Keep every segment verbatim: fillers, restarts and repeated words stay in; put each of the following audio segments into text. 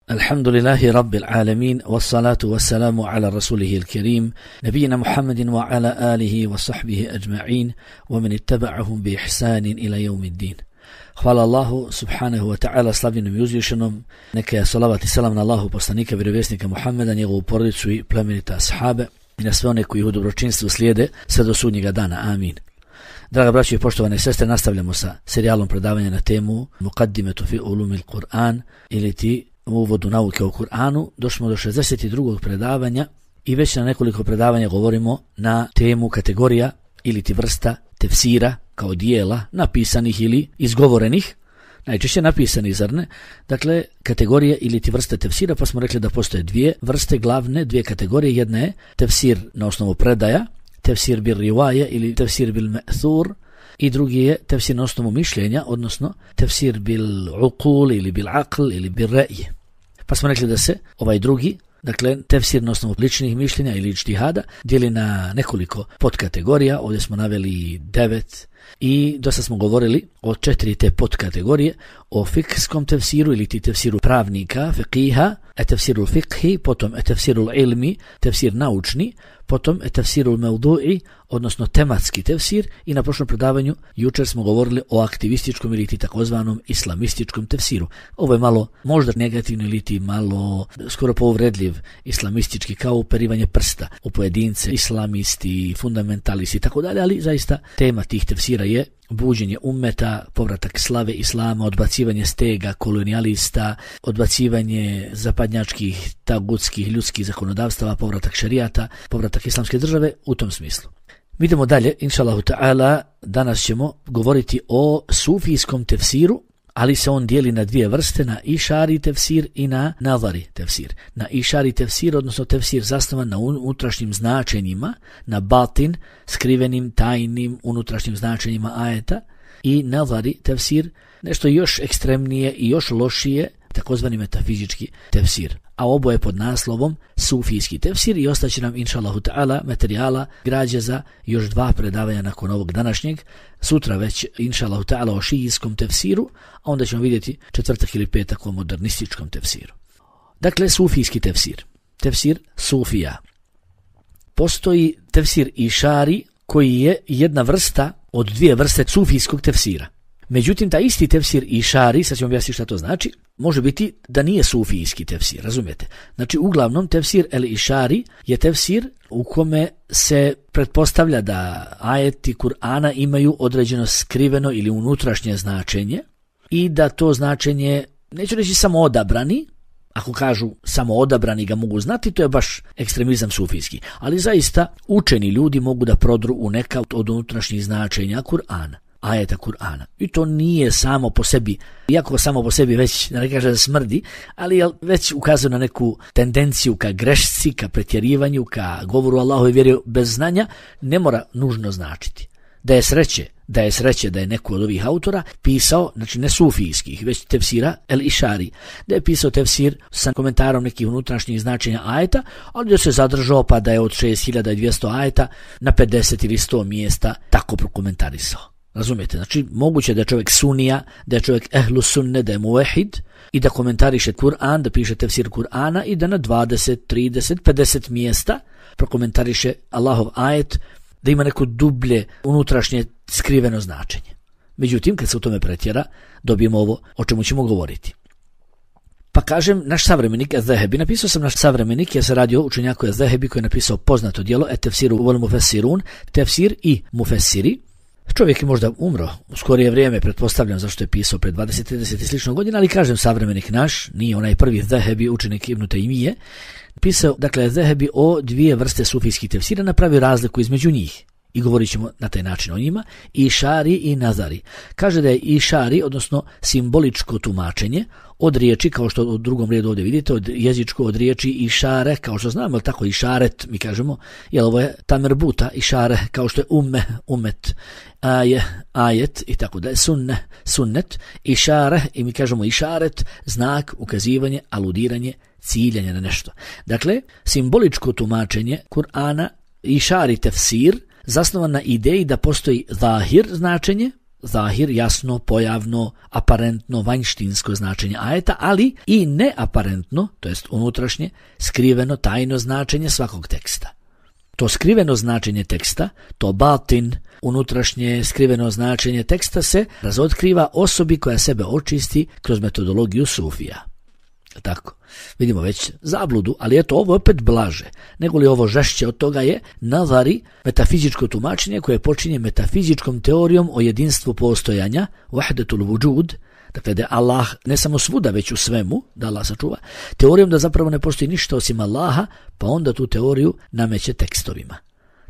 Alhamdulillahi rabbil alamin, wassalatu wassalamu ala rasulihi al-karim, nabijina Muhammedin wa ala alihi wa sahbihi ajma'in, wa man ittaba'ahum bi ihsanin ila yawmiddin. Hvala Allahu subhanahu wa ta'ala, slavljenom i uzvišenom, neka je salavat i salam na Allahu poslanika, vjerovjesnika Muhammeda, njegovu porodicu i plemenita ashabe i na sve one koji u dobročinstvu slijede sve do sudnjega dana. Amin. Draga braćo i poštovane sestre, nastavljamo sa serijalom predavanja na temu Muqaddimetu fi ulumil Kur'an, ili ti u uvodu nauke o Kur'anu. Došli do šezdeset drugog predavanja i već na nekoliko predavanja govorimo na temu kategorija ili ti vrsta tefsira kao dijela napisanih ili izgovorenih, najčešće napisanih, zar ne? Dakle, kategorije ili ti vrste tefsira, pa smo rekli da postoje dvije vrste glavne, dvije kategorije. Jedna je tefsir na osnovu predaja, tefsir bil rivaje ili tefsir bil me'thur, i drugi je tefsir na osnovu mišljenja, odnosno tefsir bil uqul ili bil aql ili bil ra'y. Pa smo rekli da se ovaj drugi, dakle tefsir na osnovu ličnih mišljenja ili ijtihada, dijeli na nekoliko podkategorija. Ovdje smo naveli devet i dosta smo govorili o četiri te podkategorije: o fikskom tefsiru ili ti tefsiru pravnika, fiqiha, e tefsiru fiqhi, potom e tefsiru ilmi, tefsir naučni, potom e tefsiru mevdu'i, odnosno tematski tefsir, i na prošlom predavanju jučer smo govorili o aktivističkom ili ti takozvanom islamističkom tefsiru. Ovo je malo možda negativno ili ti malo skoro povredljiv islamistički, kao uperivanje prsta u pojedince, islamisti, fundamentalisti i tako dalje, ali zaista tema tih tefsira je buđenje ummeta, povratak slave islama, odbacivanje stega kolonijalista, odbacivanje zapadnjačkih, tagutskih, ljudskih zakonodavstava, povratak šerijata, povratak islamske države u tom smislu. Mi idemo dalje, inšallahu ta'ala. Danas ćemo govoriti o sufijskom tefsiru, ali se on dijeli na dvije vrste, na išari tefsir i na nazari tefsir. Na išari tefsir, odnosno tefsir zasnovan na unutrašnjim značenjima, na batin, skrivenim, tajnim, unutrašnjim značenjima ajeta, i nazari tefsir, nešto još ekstremnije i još lošije, takozvani metafizički tefsir. A oboje pod naslovom sufijski tefsir, i ostaće nam inšallahu ta'ala materijala, građa za još dva predavanja nakon ovog današnjeg. Sutra već inšallahu ta'ala o šijijskom tefsiru, a onda ćemo vidjeti četvrtak ili petak o modernističkom tefsiru. Dakle, sufijski tefsir, tefsir sufija. Postoji tefsir išari koji je jedna vrsta od dvije vrste sufijskog tefsira. Međutim, ta isti tefsir išari, sad ćemo objasniti šta to znači, može biti da nije sufijski tefsir, razumijete? Znači, uglavnom, tefsir el išari je tefsir u kome se pretpostavlja da ajeti Kur'ana imaju određeno skriveno ili unutrašnje značenje i da to značenje, neću reći samo odabrani, ako kažu samo odabrani ga mogu znati, to je baš ekstremizam sufijski, ali zaista učeni ljudi mogu da prodru u neka od unutrašnjih značenja Kur'ana, ajeta Kur'ana. I to nije samo po sebi, iako samo po sebi već, ne kažem da smrdi, ali već ukazuje na neku tendenciju ka grešci, ka pretjerivanju, ka govoru Allahove vjere bez znanja, ne mora nužno značiti. Da je sreće, da je sreće da je neko od ovih autora pisao, znači ne sufijskih, već tefsira el išari, da je pisao tefsir sa komentarom nekih unutrašnjih značenja ajeta, ali da se zadržao pa da je od šest hiljada dvjesto ajeta na pedeset ili sto mjesta tako prokomentarisao. Razumijete? Znači, moguće da je čovjek sunija, da je čovjek ehlu sunne, da je muvehid i da komentariše Kur'an, da piše tefsir Kur'ana i da na dvadeset, trideset, pedeset mjesta prokomentariše Allahov ajet, da ima neko dublje unutrašnje skriveno značenje. Međutim, kad se u tome pretjera, dobijemo ovo o čemu ćemo govoriti. Pa kažem, naš savremenik Az-Zahebi, napisao sam naš savremenik, ja se radi o učenjaku Az-Zahebi koji je napisao poznato djelo et tefsiru wal mufessirun, tefsir i mufessiri. Čovjek je možda umro u skorije vrijeme, pretpostavljam, zašto je pisao pred dvadeset, trideset i slično godina, ali kažem savremenik naš, nije onaj prvi Az-Zahebi, učenik Ibn Taymije, pisao, dakle, Az-Zahebi o dvije vrste sufijskih tefsira, napravi razliku između njih. I govorit ćemo na taj način o njima, išari i nazari. Kaže da je išari, odnosno simboličko tumačenje, od riječi, kao što u drugom redu ovdje vidite, od jezičko, od riječi išare, kao što znamo, tako išaret, mi kažemo, jel ovo je tamerbuta, išare, kao što je umme, umet, aje, ajet, i tako da je sunne, sunnet, išare, i mi kažemo išaret, znak, ukazivanje, aludiranje, ciljanje na nešto. Dakle, simboličko tumačenje Kur'ana, išari tefsir, zasnovan na ideji da postoji zahir značenje, zahir, jasno, pojavno, aparentno, vanjštinsko značenje ajeta, ali i neaparentno, to jest unutrašnje, skriveno, tajno značenje svakog teksta. To skriveno značenje teksta, to batin, unutrašnje skriveno značenje teksta se razotkriva osobi koja sebe očisti kroz metodologiju sufija. Tako, vidimo već zabludu, ali eto ovo opet blaže, nego li ovo žešće od toga je nazari, metafizičko tumačenje koje počinje metafizičkom teorijom o jedinstvu postojanja, wahdatul vujud, dakle da je Allah ne samo svuda već u svemu, da Allah sačuva, teorijom da zapravo ne postoji ništa osim Allaha, pa onda tu teoriju nameće tekstovima.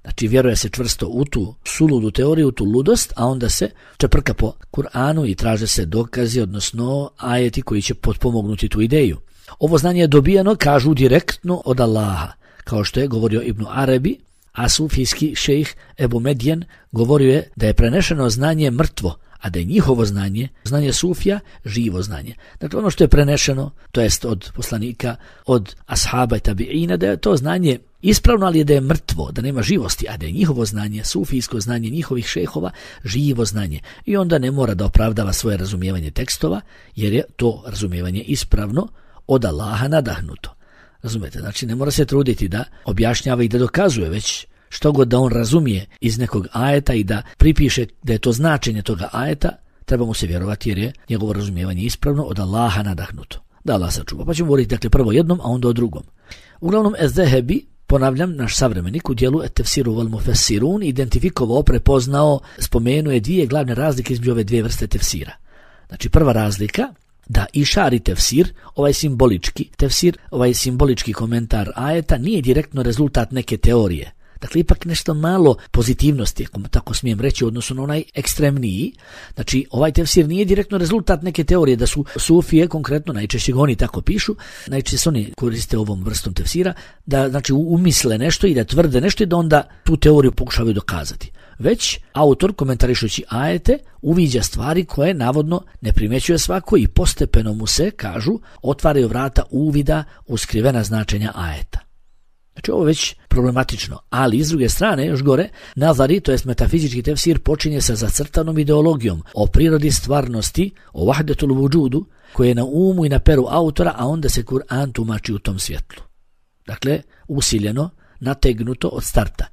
Znači vjeruje se čvrsto u tu suludu teoriju, u tu ludost, a onda se čeprka po Kur'anu i traže se dokazi, odnosno ajeti koji će potpomognuti tu ideju. Ovo znanje je dobijeno, kažu, direktno od Allaha, kao što je govorio Ibn Arabi, a sufijski šejh Ebu Medjen govorio je da je prenešeno znanje mrtvo, a da je njihovo znanje, znanje sufija, živo znanje. Dakle, ono što je prenešeno, to jest od poslanika, od ashaba i tabiina, da je to znanje ispravno, ali je da je mrtvo, da nema živosti, a da je njihovo znanje, sufijsko znanje njihovih šejhova, živo znanje. I onda ne mora da opravdava svoje razumijevanje tekstova, jer je to razumijevanje ispravno od Allaha nadahnuto. Razumete? Znači, ne mora se truditi da objašnjava i da dokazuje, već što god da on razumije iz nekog ajeta i da pripiše da je to značenje toga ajeta, treba mu se vjerovati jer je njegovo razumijevanje ispravno od Allaha nadahnuto. Da Allah sačuva. Pa ćemo govoriti dakle prvo jednom, a onda o drugom. Uglavnom, Ez-Zehebi, ponavljam, naš savremenik u dijelu Et-Tefsiru wal Mufassirun identifikovao, prepoznao, spomenuo je dvije glavne razlike između ove dvije vrste tefsira. Znači, prva razlika, da išari tefsir, ovaj simbolički tefsir, ovaj simbolički komentar ajeta nije direktno rezultat neke teorije. Dakle, ipak nešto malo pozitivnosti, ako tako smijem reći, odnosno na onaj ekstremniji. Znači, ovaj tefsir nije direktno rezultat neke teorije, da su sufije, konkretno, najčešće oni tako pišu, najčešće se oni koriste ovom vrstom tefsira, da znači umisle nešto i da tvrde nešto i da onda tu teoriju pokušavaju dokazati. Već autor, komentarišući ajete, uviđa stvari koje navodno ne primećuje svako i postepeno mu se, kažu, otvaraju vrata uvida u skrivena značenja ajeta. Znači ovo je već problematično, ali s druge strane, još gore, nazari, to jest metafizički tefsir, počinje sa zacrtanom ideologijom o prirodi stvarnosti, o wahdatul vujudu, koje je na umu i na peru autora, a onda se Kur'an tumači u tom svjetlu. Dakle, usiljeno, nategnuto od starta.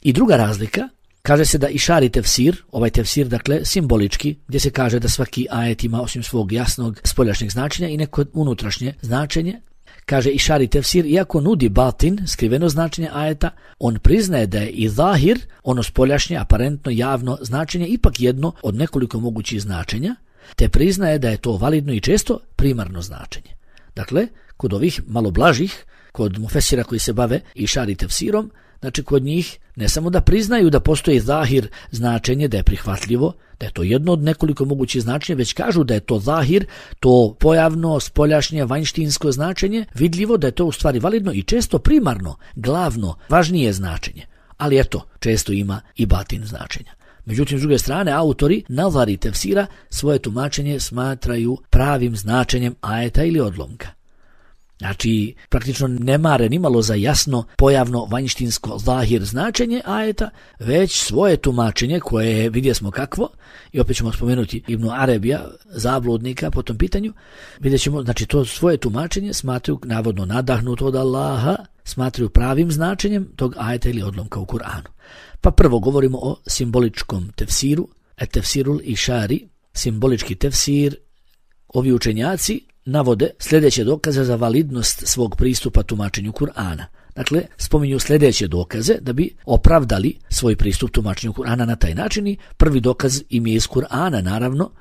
I druga razlika, kaže se da išari tefsir, ovaj tefsir, dakle, simbolički, gdje se kaže da svaki ajet ima osim svog jasnog spoljašnjeg značenja i neko unutrašnje značenje. Kaže išari tefsir, iako nudi batin, skriveno značenje ajeta, on priznaje da je i zahir, ono spoljašnje, aparentno, javno značenje, ipak jedno od nekoliko mogućih značenja, te priznaje da je to validno i često primarno značenje. Dakle, kod ovih malo blažih, kod mufesira koji se bave išari tefsirom, znači kod njih ne samo da priznaju da postoji zahir značenje, da je prihvatljivo, da je to jedno od nekoliko mogućih značenja, već kažu da je to zahir, to pojavno, spoljašnje, vanjštinsko značenje, vidljivo da je to u stvari validno i često primarno, glavno, važnije značenje. Ali eto, često ima i batin značenja. Međutim, s druge strane, autori nazari tefsira svoje tumačenje smatraju pravim značenjem ajeta ili odlomka. Znači, praktično ne mare nimalo za jasno pojavno vanjštinsko zahir značenje ajeta, već svoje tumačenje koje vidjeli smo kakvo, i opet ćemo spomenuti Ibn Arabija, zabludnika po tom pitanju, vidjet ćemo, znači to svoje tumačenje smatraju navodno nadahnuto od Allaha, smatraju pravim značenjem tog ajeta ili odlomka u Kur'anu. Pa prvo govorimo o simboličkom tefsiru, et tefsirul išari, simbolički tefsir. Ovi učenjaci navode sljedeće dokaze za validnost svog pristupa tumačenju Kur'ana. Dakle, spominju sljedeće dokaze da bi opravdali svoj pristup tumačenju Kur'ana na taj način i prvi dokaz im je iz Kur'ana, naravno.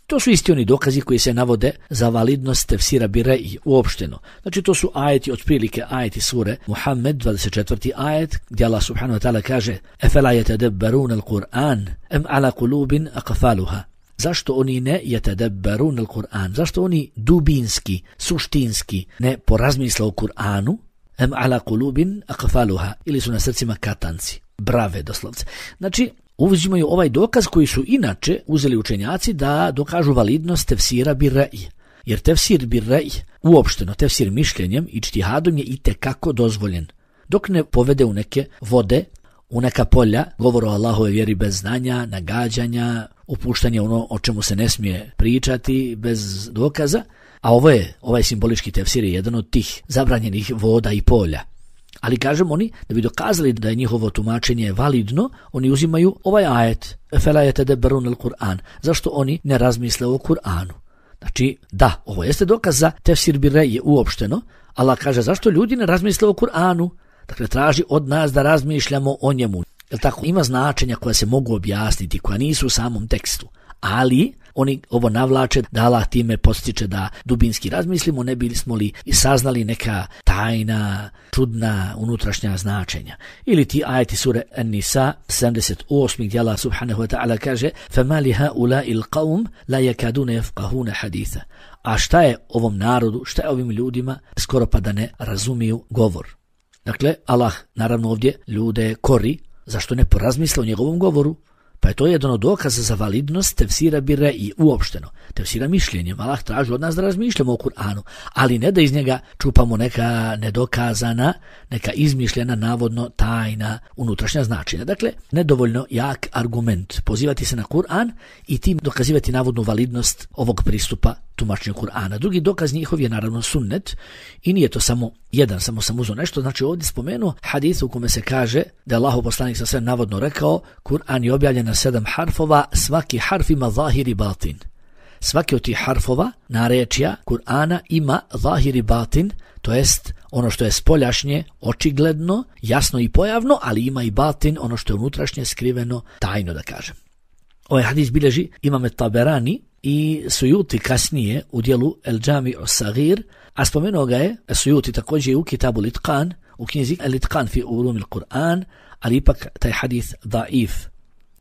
To su isti oni dokazi koji se navode za validnost tefsira Bire'i uopšteno. Znači, to su ajeti, otprilike ajeti sure Muhammed, dvadeset četvrti ajet, gdje Allah subhanahu wa ta'ala kaže Efela yetadabbarun al-Qur'an, em ala kulubin aqfaluha. Zašto oni ne yetadabbarun al-Qur'an? Zašto oni dubinski, suštinski ne porazmisle o Kur'anu? Em ala kulubin aqfaluha. Ili su na srcima katanci, brave doslovce. Znači, uzimaju ovaj dokaz koji su inače uzeli učenjaci da dokažu validnost tefsira Bire'i. Jer tefsir Bire'i, uopšteno tefsir mišljenjem i čtihadom je itekako dozvoljen. Dok ne povede u neke vode u neka polja, govor o Allahove vjeri bez znanja, nagađanja, upuštanje ono o čemu se ne smije pričati bez dokaza, a ovo je, ovaj simbolički tefsir je jedan od tih zabranjenih voda i polja. Ali kažem oni, da bi dokazali da je njihovo tumačenje validno, oni uzimaju ovaj ajet, fela yatadabbarun al-Qur'an. Zašto oni ne razmisle o Kur'anu? Znači, da, ovo jeste dokaz za tefsir bir ra'yi uopšteno. Allah kaže, zašto ljudi ne razmisle o Kur'anu? Dakle, traži od nas da razmišljamo o njemu. Jel tako? Ima značenja koja se mogu objasniti, koja nisu u samom tekstu. Ali oni ovo navlače da Allah time postiče da dubinski razmislimo, ne bismo li i saznali neka tajna, čudna, unutrašnja značenja. Ili ti ajeti sure An-Nisa sedamdeset osam gdje Allah subhanahu wa ta'ala kaže فَمَا لِهَؤُلَاءِ الْقَوْمِ لَا يَكَادُونَ يَفْقَهُونَ حَدِيثًا. A šta je ovom narodu, šta je ovim ljudima, skoro pa da ne razumiju govor. Dakle, Allah naravno ovdje ljude kori, zašto ne porazmisle o njegovom govoru. Pa je to jedan od dokaza za validnost tefsira bir ra'yi uopšteno. Tefsira mišljenjem. Allah traži od nas da razmišljamo o Kur'anu, ali ne da iz njega čupamo neka nedokazana, neka izmišljena, navodno tajna unutrašnja značenja. Dakle, nedovoljno jak argument. Pozivati se na Kur'an i tim dokazivati navodnu validnost ovog pristupa tumačenju Kur'ana. Drugi dokaz njihov je naravno sunnet i nije to samo jedan, samo sam uzeo nešto. Znači ovdje spomenuo hadis u kome se kaže da je Allahov poslanik sa sve navodno rekao Kur'an je objavljen na sedam harfova, svaki harf ima zahir i batin. Svaki od tih harfova, narečja Kur'ana ima zahir i batin, to jest ono što je spoljašnje, očigledno, jasno i pojavno, ali ima i batin, ono što je unutrašnje, skriveno, tajno da kažem. Ovaj hadis bilježi Imam Taberani i Sujuti kasnije u dijelu El Džami Sagir, a spomenuo ga je Sujuti također u Kitabu Litqan, u knjizi Litqan fi ulumil Kur'an, ali ipak taj hadis daif.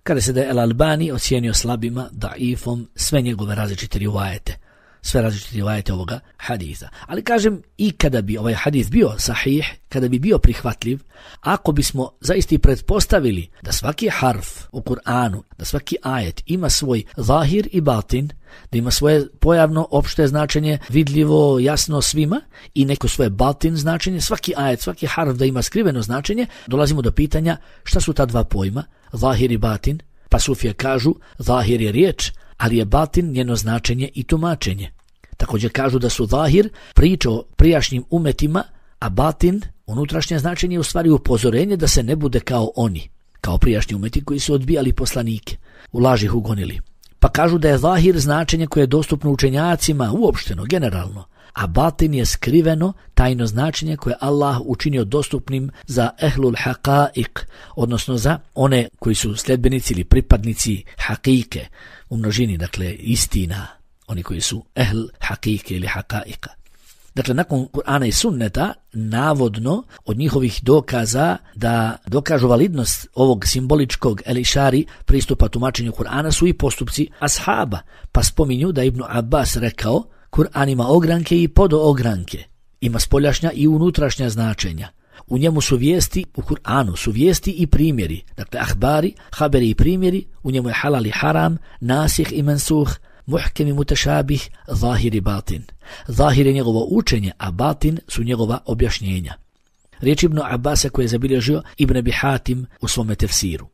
Kada se da je El Albani ocijenio slabima, daifom, sve njegove različite rivajete, sve različite rivajete ovoga haditha. Ali kažem, i kada bi ovaj hadith bio sahih, kada bi bio prihvatljiv, ako bismo zaista pretpostavili da svaki harf u Kur'anu, da svaki ajet ima svoj zahir i batin, da ima svoje pojavno opšte značenje, vidljivo, jasno svima, i neko svoje batin značenje, svaki ajet, svaki harf da ima skriveno značenje, dolazimo do pitanja šta su ta dva pojma, zahir i batin. Pa sufije kažu, zahir je riječ, ali je batin njeno značenje i tumačenje. Također kažu da su zahir priča o prijašnjim umetima, a batin, unutrašnje značenje, je u stvari upozorenje da se ne bude kao oni, kao prijašnji umeti koji su odbijali poslanike, u laži ih ugonili. Pa kažu da je zahir značenje koje je dostupno učenjacima uopšteno, generalno, a batin je skriveno, tajno značenje koje Allah učinio dostupnim za ehlul haqa'iq, odnosno za one koji su sledbenici ili pripadnici haqiqe, u množini, dakle, istina, oni koji su ehl haqiqe ili haqa'iqa. Dakle, nakon Kur'ana i sunneta, navodno, od njihovih dokaza da dokažu validnost ovog simboličkog elišari pristupa tumačenju Kur'ana su i postupci ashaba, pa spominju da Ibn Abbas rekao Kur'an ima ogranke i podoogranke, ima spoljašnja i unutrašnja značenja. U njemu su vijesti, u Kur'anu su vijesti i primjeri, dakle ahbari, haberi i primjeri, u njemu je halal i haram, nasih i mansuh, muhkem i mutešabih, zahir i batin. Zahir je njegovo učenje, a batin su njegova objašnjenja. Riječ Ibn Abbasa koje je zabilježio Ibn Abi Hatim u svome tefsiru.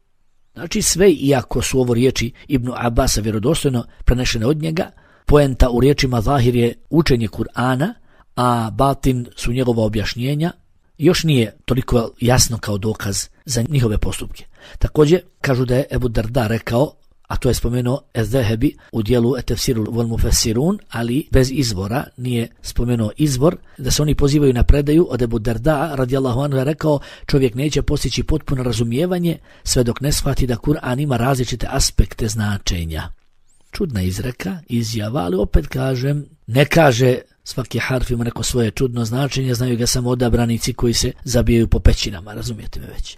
Znači sve, iako su ovo riječi Ibn Abbasa vjerodostojno prenešene od njega, poenta u riječima zahir je učenje Kur'ana, a batin su njegova objašnjenja, još nije toliko jasno kao dokaz za njihove postupke. Također kažu da je Ebu Darda rekao, a to je spomenuo Ez-Zahebi u dijelu Et-Tefsiru wal Mufassirun, ali bez izvora, nije spomenuo izvor, da se oni pozivaju na predaju od Ebu Darda radijallahu anhu, je rekao čovjek neće postići potpuno razumijevanje sve dok ne shvati da Kur'an ima različite aspekte značenja. Čudna izreka, izjava, ali opet kažem, ne kaže svaki harf ima neko svoje čudno značenje, znaju ga samo odabranici koji se zabijaju po pećinama, razumijete me već.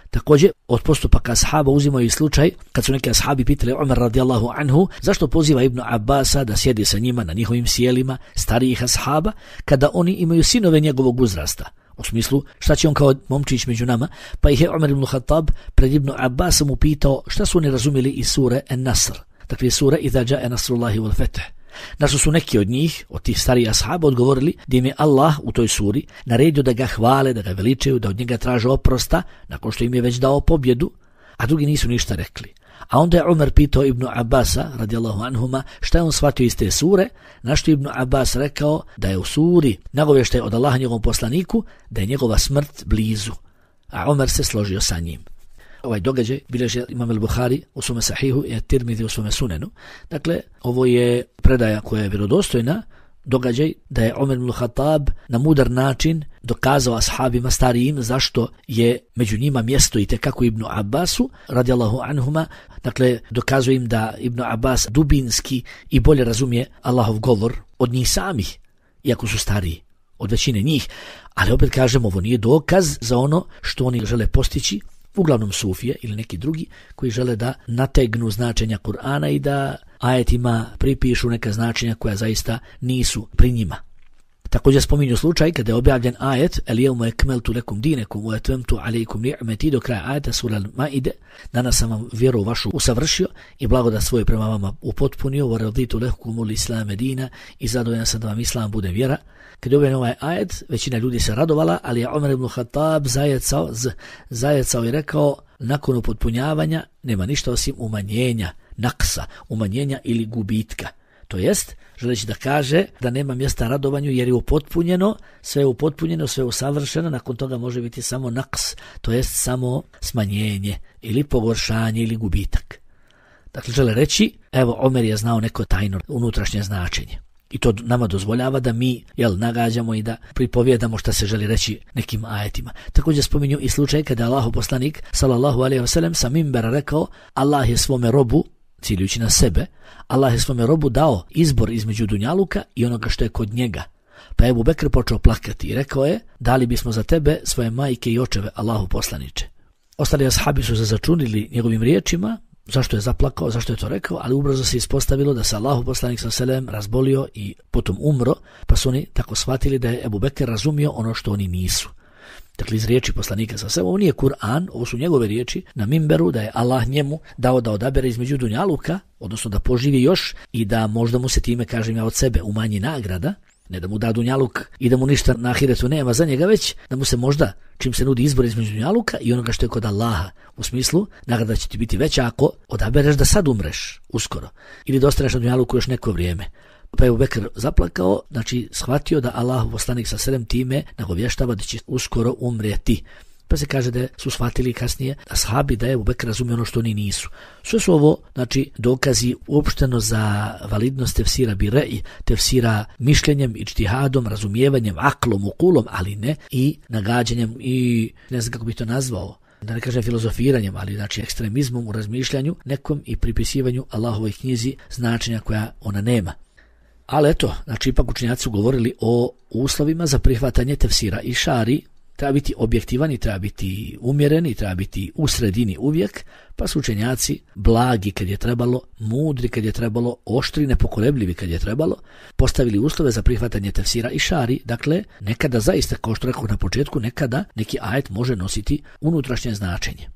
Također, od postupaka ashaba uzimaju i slučaj kad su neki ashabi pitali Umar radijallahu anhu zašto poziva Ibn Abbasa da sjedi sa njima na njihovim sjelima starijih ashaba kada oni imaju sinove njegovog uzrasta. U smislu, šta će on kao momčić među nama? Pa ih je Umar ibn Khattab pred Ibn Abbasom upitao šta su oni razumjeli iz sure An-Nasr. Dakle, sura Iza ja'a nasrullahi wal fath. Na što su neki od njih, od tih starijih ashaba, odgovorili da im je Allah u toj suri naredio da ga hvale, da ga veličaju, da od njega traže oprosta, nakon što im je već dao pobjedu, a drugi nisu ništa rekli. A onda je Umar pitao Ibnu Abasa, radijallahu anhuma, šta je on shvatio iz te sure, na što Ibnu Abbas rekao da je u suri nagovještaj od Allaha njegovom poslaniku, da je njegova smrt blizu. A Umar se složio sa njim. Ovaj događaj bilježi Imam al-Buhari u svome sahihu i Tirmidhi u svome sunenu. Dakle, ovo je predaja koja je vjerodostojna, događaj da je Omer ibn Khattab na mudar način dokazao ashabima starijim zašto je među njima mjesto i tekako Ibnu Abbasu, radijallahu anhuma. Dakle, dokazuje im da Ibnu Abbas dubinski i bolje razumije Allahov govor od njih samih, iako su stariji od većine njih. Ali opet kažem, ovo nije dokaz za ono što oni žele postići, uglavnom sufije ili neki drugi koji žele da nategnu značenja Kur'ana i da ajetima pripišu neka značenja koja zaista nisu pri njima. Također spominju slučaj kada je objavljen ajet El jevmu ekmeltu lekum dinekum wa atmamtu alejkum ni'meti do kraja ajeta sura Al-Maide. Danas sam vam vjeru vašu usavršio i blagodat svoju prema vama upotpunio, wa raditu lekumul islame dina, i zadovoljan sam da vam islam bude vjera. Kad je objavljen ovaj ajet, većina ljudi se radovala, ali je Omer ibn Khattab zajecao, z, zajecao i rekao, nakon upotpunjavanja nema ništa osim umanjenja, naksa, umanjenja ili gubitka. To jest, želeći da kaže da nema mjesta radovanju jer je upotpunjeno, sve je upotpunjeno, sve je usavršeno, nakon toga može biti samo naks, to jest samo smanjenje ili pogoršanje ili gubitak. Dakle, žele reći, evo, Omer je znao neko tajno unutrašnje značenje. I to nama dozvoljava da mi jel, nagađamo i da pripovjedamo šta se želi reći nekim ajetima. Također spominju i slučaj kada je Allahov poslanik sallallahu alejhi ve sellem sa minbera rekao, Allah je svome robu, ciljujući na sebe, Allah je svome robu dao izbor između dunjaluka i onoga što je kod njega. Pa je Ebu Bekr počeo plakati i rekao je, dali bismo za tebe svoje majke i očeve, Allahu poslaniče. Ostali ashabi su se začunili njegovim riječima, zašto je zaplakao, zašto je to rekao, ali ubrzo se ispostavilo da se Allahu poslanik sallallahu alejhi ve sellem razbolio i potom umro, pa su oni tako shvatili da je Ebu Bekr razumio ono što oni nisu. Dakle, iz riječi poslanika sallallahu alejhi ve sellem, ovo nije Kur'an, ovo su njegove riječi na minberu da je Allah njemu dao da odabere između dunjaluka, odnosno da poživi još i da možda mu se time, kažem ja od sebe, umanji nagrada, ne da mu da dunjaluk i da mu ništa na ahiretu nema za njega, već da mu se možda, čim se nudi izbor između dunjaluka i onoga što je kod Allaha, u smislu, nagrada će ti biti veća ako odabereš da sad umreš uskoro ili da ostaneš na dunjaluku još neko vrijeme. Pa je Ebu Bekr zaplakao, znači shvatio da Allah poslanik sa sedam time nagovještava da će uskoro umrijeti. Pa se kaže da su shvatili kasnije ashabi da je Ebu Bekr razumio ono što oni nisu. Sve su ovo, znači, dokazi uopšteno za validnost tefsira bire'i, tefsira mišljenjem, ičtihadom, razumijevanjem, aklom, ukulom, ali ne i nagađanjem i ne znam kako bi to nazvao, da ne kažem filozofiranjem, ali znači ekstremizmom u razmišljanju nekom i pripisivanju Allahovoj knjizi značenja koja ona nema. Ali eto, znači ipak učenjaci su govorili o uslovima za prihvatanje tefsira i šari. Treba biti objektivan i treba biti umjeren i treba biti u sredini uvijek, pa su učenjaci blagi kad je trebalo, mudri kad je trebalo, oštri, nepokolebljivi kad je trebalo, postavili uslove za prihvatanje tefsira i šari. Dakle, nekada zaista, kao što rekao na početku, nekada neki ajet može nositi unutrašnje značenje.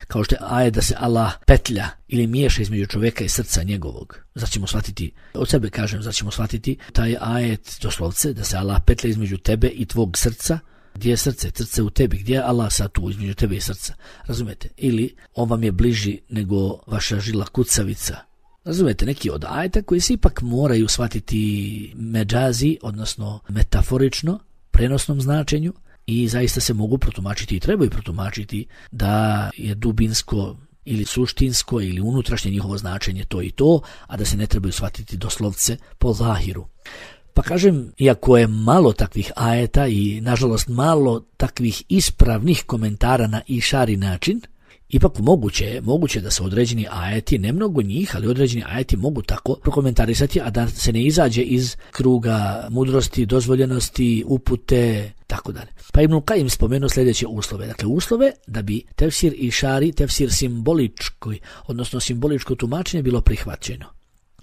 Kao što je ajet da se Allah petlja ili miješa između čovjeka i srca njegovog. Zato ćemo shvatiti, od sebe kažem, zato ćemo shvatiti taj ajet doslovce, da se Allah petlja između tebe i tvog srca. Gdje je srce? Srce u tebi. Gdje je Allah sad tu između tebe i srca? Razumete? Ili on vam je bliži nego vaša žila kucavica. Razumete? Neki od ajeta koji se ipak moraju shvatiti međazi, odnosno metaforično, prenosnom značenju, i zaista se mogu protumačiti i trebaju protumačiti da je dubinsko ili suštinsko ili unutrašnje njihovo značenje to i to, a da se ne trebaju shvatiti doslovce po zahiru. Pa kažem, iako je malo takvih ajeta i nažalost malo takvih ispravnih komentara na išari način, ipak moguće je, moguće da se određeni ajeti, ne mnogo njih, ali određeni ajeti mogu tako prokomentarisati, a da se ne izađe iz kruga mudrosti, dozvoljenosti, upute, tako dalje. Pa Ibn Kajim spomenuo sljedeće uslove. Dakle, uslove da bi tefsir išari, tefsir simbolički, odnosno simboličko tumačenje bilo prihvaćeno.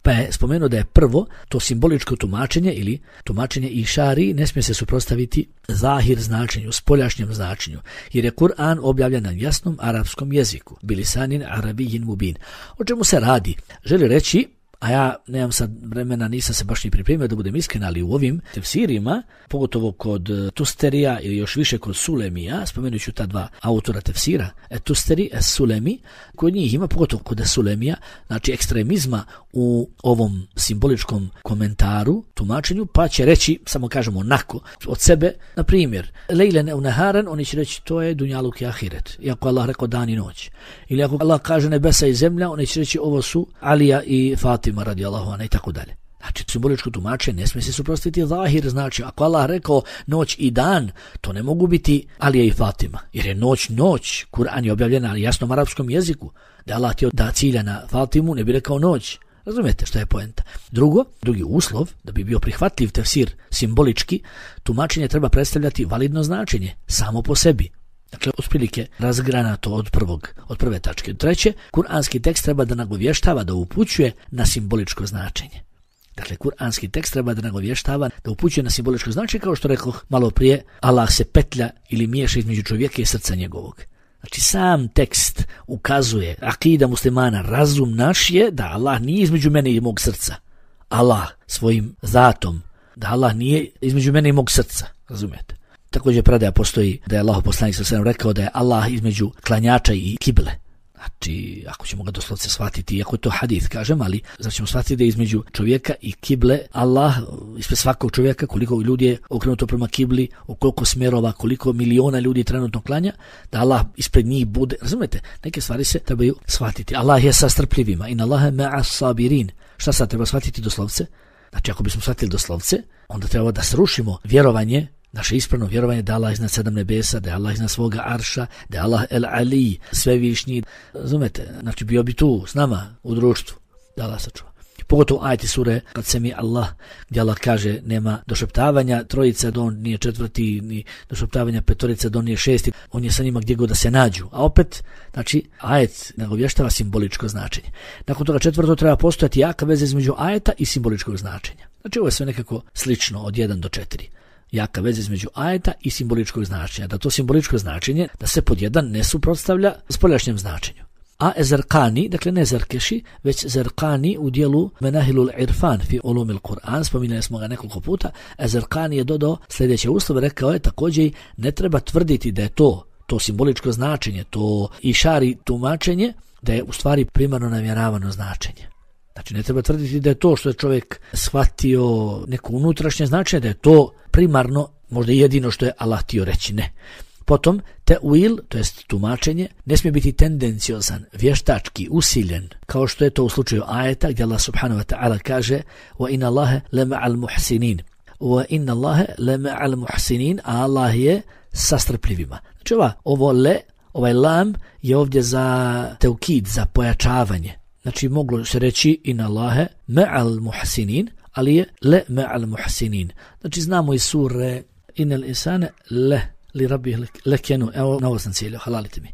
Pa je spomenuo da je prvo to simboličko tumačenje ili tumačenje išari ne smije se suprotstaviti zahir značenju, spoljašnjem značenju, jer je Kur'an objavljen na jasnom arapskom jeziku, bilisanin arabijin mubin. O čemu se radi? Želi reći, a ja nemam sad vremena, nisam se baš ni pripremio da budem iskren, ali u ovim tefsirima, pogotovo kod Tusterija ili još više kod Sulemija, spomenut ću ta dva autora tefsira, e Tusteri, e Sulemi, kod njih ima, pogotovo kod Sulemija, znači ekstremizma u ovom simboličkom komentaru, tumačenju, pa će reći, samo kažemo onako, od sebe, na primjer, lejlen u naharan, oni će reći to je dunjaluk i ahiret, iako Allah rekao dan i noć. Ili ako Allah kaže nebesa i zemlja, oni će reći ovo su Alija i Fatima radijallahu anha i tako dalje. Znači, simboličko tumačenje ne smije se suprotstaviti zahir, znači ako Allah rekao noć i dan, to ne mogu biti Alija i Fatima, jer je noć noć, Kur'an je objavljen na jasnom arapskom jeziku, da Allah htio da cilja na Fatimu, ne bi rekao noć. Razumijete što je poenta? Drugo, drugi uslov, da bi bio prihvatljiv tefsir simbolički, tumačenje treba predstavljati validno značenje, samo po sebi. Dakle, otprilike razgranato od prvog, od prve tačke. Treće, kuranski tekst treba da nagovještava, da upućuje na simboličko značenje. Dakle, kuranski tekst treba da nagovještava, da upućuje na simboličko značenje, kao što rekoh malo prije, Allah se petlja ili miješa između čovjeka i srca njegovog. Znači, sam tekst ukazuje, akida muslimana, razum naš je da Allah nije između mene i mog srca. Allah svojim zatom, da Allah nije između mene i mog srca, razumijete? Također predaja postoji da je Allah poslanik sallallahu alejhi ve sellem rekao da je Allah između klanjača i kible. Znači, ako ćemo ga doslovce shvatiti, iako je to hadith, kažem, ali znači ćemo shvatiti da je između čovjeka i kible Allah, ispred svakog čovjeka, koliko ljudi je okrenuto prema kibli, u koliko smjerova, koliko miliona ljudi trenutno klanja, da Allah ispred njih bude, razumete, neke stvari se trebaju shvatiti. Allah je sa strpljivima, in Allahe ma'a sabirin. Šta sad treba shvatiti doslovce? Znači, ako bismo shvatili doslovce, onda treba da srušimo vjerovanje, naše ispravno vjerovanje da Allah iznad sedam nebesa, da je Allah iznad svoga arša, da je Allah el Ali, svevišnji. Razumete? Znači bio bi tu s nama u društvu, da Allah sačuva. Pogotovo ajeti sure kad se mi Allah, gdje Allah kaže nema došeptavanja trojica, da on nije četvrti, ni došeptavanja petorica, da on nije šesti, on je sa njima gdje god da se nađu. A opet, znači, ajet nagovještava simboličko značenje. Nakon toga četvrto treba postojati jaka veza između ajeta i simboličkog značenja. Znači ovo je sve nekako slično od jedan do četiri. Jaka veza između ajeta i simboličkog značenja. Da to simboličko značenje, da se pod jedan ne suprotstavlja spoljašnjem značenju. A Ezerkani, dakle ne Zerkeši, već Zerkani u dijelu Menahilul Irfan fi ulumil Kur'an, spominjali smo ga nekoliko puta, Ezerkani je dodao sljedeće uslove, rekao je također ne treba tvrditi da je to, to simboličko značenje, to išari tumačenje, da je u stvari primarno namjeravano značenje. Znači ne treba tvrditi da je to što je čovjek shvatio neko unutrašnje značenje, da je to primarno, možda jedino što je Allah htio reći, ne. Potom, te'wil, to jest tumačenje, ne smije biti tendenciozan, vještački, usiljen, kao što je to u slučaju ajeta, gdje Allah subhanahu wa ta'ala kaže wa inna Allahe lema'al muhsinin. Wa inna Allahe lema'al muhsinin, a Allah je sa strpljivima. Znači ova, ovo le, ovaj lam je ovdje za teukid, za pojačavanje. Znači moglo se reći inna Allahe ma'al muhsinin, ali je le ma'al muhsinin. Znači znamo iz sure innal insane le li rabbihi lekenu, evo na ovo sam cijelio, halalite mi.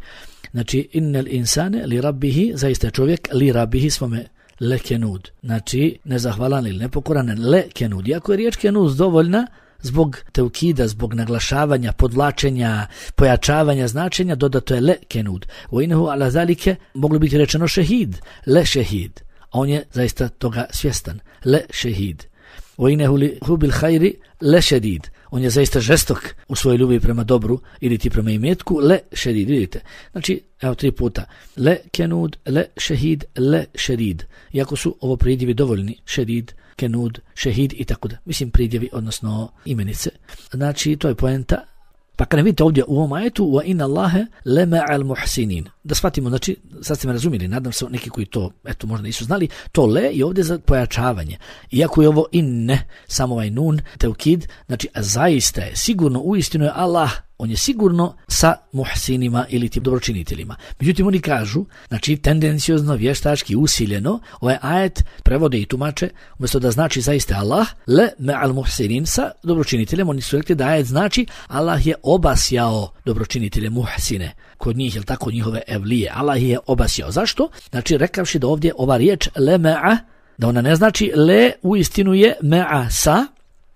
Znači innal insane li rabbihi, zaista je čovjek li rabbihi svome lekenud. Znači nezahvalan ili nepokoran lekenud. Iako je riječ kenud dovoljna zbog teukida, zbog naglašavanja, podvlačenja, pojačavanja značenja, dodato je lekenud. U inahu ala zalike moglo biti rečeno šehid, le šehid. A on je zaista toga svjestan, le šehid. U inahu li hubil hajri le šedid. On je zaista žestok u svojoj ljubavi prema dobru ili ti prema imetku, le šedid, vidite. Znači, evo tri puta, le kenud, le šehid, le šedid. Iako su ovo pridjevi dovoljni, šedid, kenud, šehid i tako da. Mislim pridjevi, odnosno imenice. Znači, to je poenta. Pa kada vidite ovdje u ovom ajetu, wa inna Allahe le ma'al muhsinin. Da shvatimo, znači, sad ste me razumjeli, nadam se neki koji to, eto, možda nisu znali, to le je ovdje za pojačavanje. Iako je ovo inne, samo ovaj nun, teukid, znači, zaista je, sigurno, uistinu je Allah, on je sigurno sa muhsinima ili tim dobročiniteljima. Međutim, oni kažu, znači, tendenciozno, vještački, usiljeno, ovaj ajet prevode i tumače, umjesto da znači zaista Allah, le ma'al muhsinin, sa dobročiniteljem, oni su rekli da ajet znači Allah je obasjao dobročinitelje muhsine. Kod njih, je li tako, njihove evlije. Allah je obasjao. Zašto? Znači, rekavši da ovdje ova riječ le ma'a, da ona ne znači le uistinu je ma'a sa,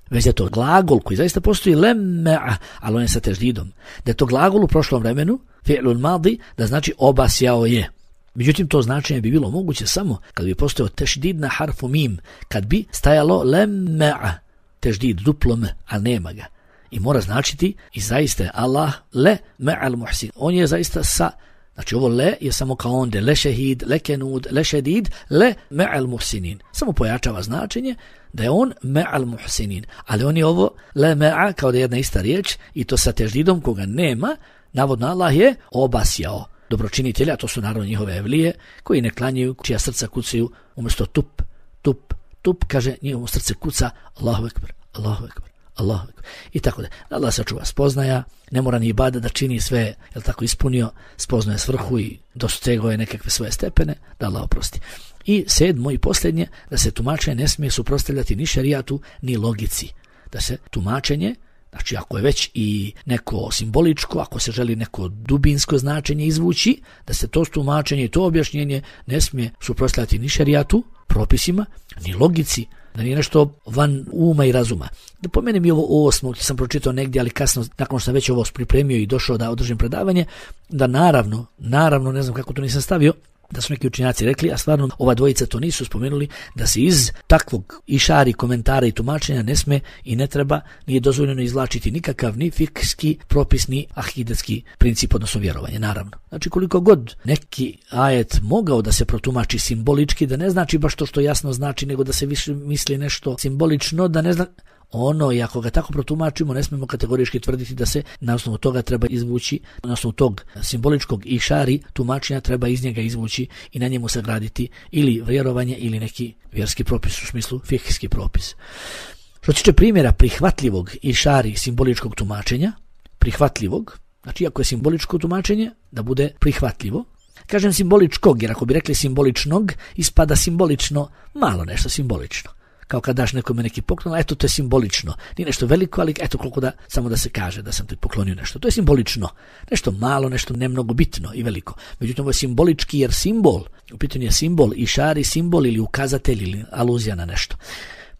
već je to glagol koji zaista postoji le ma'a, ali on je sa teždidom. Da je to glagol u prošlom vremenu, fi'lul madi, da znači obasjao je. Međutim, to značenje bi bilo moguće samo kad bi postojao tešdid na harfu mim, kad bi stajalo lemme'a, tešdid, duplo m, a nema ga. I mora značiti i zaista je Allah le me'al muhsin. On je zaista sa, znači ovo le je samo kao onde, le šehid, le kenud, le šedid, le me'al muhsinin. Samo pojačava značenje da je on me'al muhsinin. Ali on je ovo le me'a kao da je jedna ista riječ i to sa teždidom koga nema, navodno Allah je obasjao dobročinitelja, to su naravno njihove evlije, koji ne klanjaju, čija srca kucaju umjesto tup, tup, tup, kaže njihovo srce kuca Allahu ekber, Allahu ekber, Allahu ekber. I tako da, Allah sačuva spoznaja, ne mora ni ibada da čini sve, jel tako, ispunio, spoznaje svrhu i dostegao je nekakve svoje stepene, da Allah oprosti. I sedmo i posljednje, da se tumačenje ne smije suprotstavljati ni šerijatu, ni logici. Da se tumačenje, znači ako je već i neko simboličko, ako se želi neko dubinsko značenje izvući, da se to tumačenje i to objašnjenje ne smije suprotstavljati ni šerijatu, propisima, ni logici, da nije nešto van uma i razuma. Da pomenem i ovo osmo, sam pročitao negdje, ali kasno, nakon što sam već ovo pripremio i došao da održim predavanje, da naravno, naravno, ne znam kako to nisam stavio, da su neki učenjaci rekli, a stvarno ova dvojica to nisu spomenuli, da se iz takvog išari, komentara i tumačenja ne sme i ne treba, nije dozvoljeno izvlačiti nikakav ni fikski propis, ni akidetski princip, odnosno vjerovanje, naravno. Znači koliko god neki ajet mogao da se protumači simbolički, da ne znači baš to što jasno znači, nego da se više misli nešto simbolično, da ne zna... Ono, i ako ga tako protumačimo, ne smemo kategorički tvrditi da se na osnovu toga treba izvući, na osnovu tog simboličkog išari tumačenja treba iz njega izvući i na njemu sagraditi ili vjerovanje ili neki vjerski propis, u smislu fikski propis. Što tiče primjera prihvatljivog išari simboličkog tumačenja, prihvatljivog, znači ako je simboličko tumačenje, da bude prihvatljivo. Kažem simboličkog, jer ako bi rekli simboličnog, ispada simbolično, malo nešto simbolično. Kao kad daš nekome neki poklon, eto to je simbolično. Nije nešto veliko, ali eto koliko da, samo da se kaže da sam ti poklonio nešto. To je simbolično. Nešto malo, nešto ne mnogo bitno i veliko. Međutim, ovo je simbolički jer simbol, u pitanju je simbol, išari simbol ili ukazatelj ili aluzija na nešto.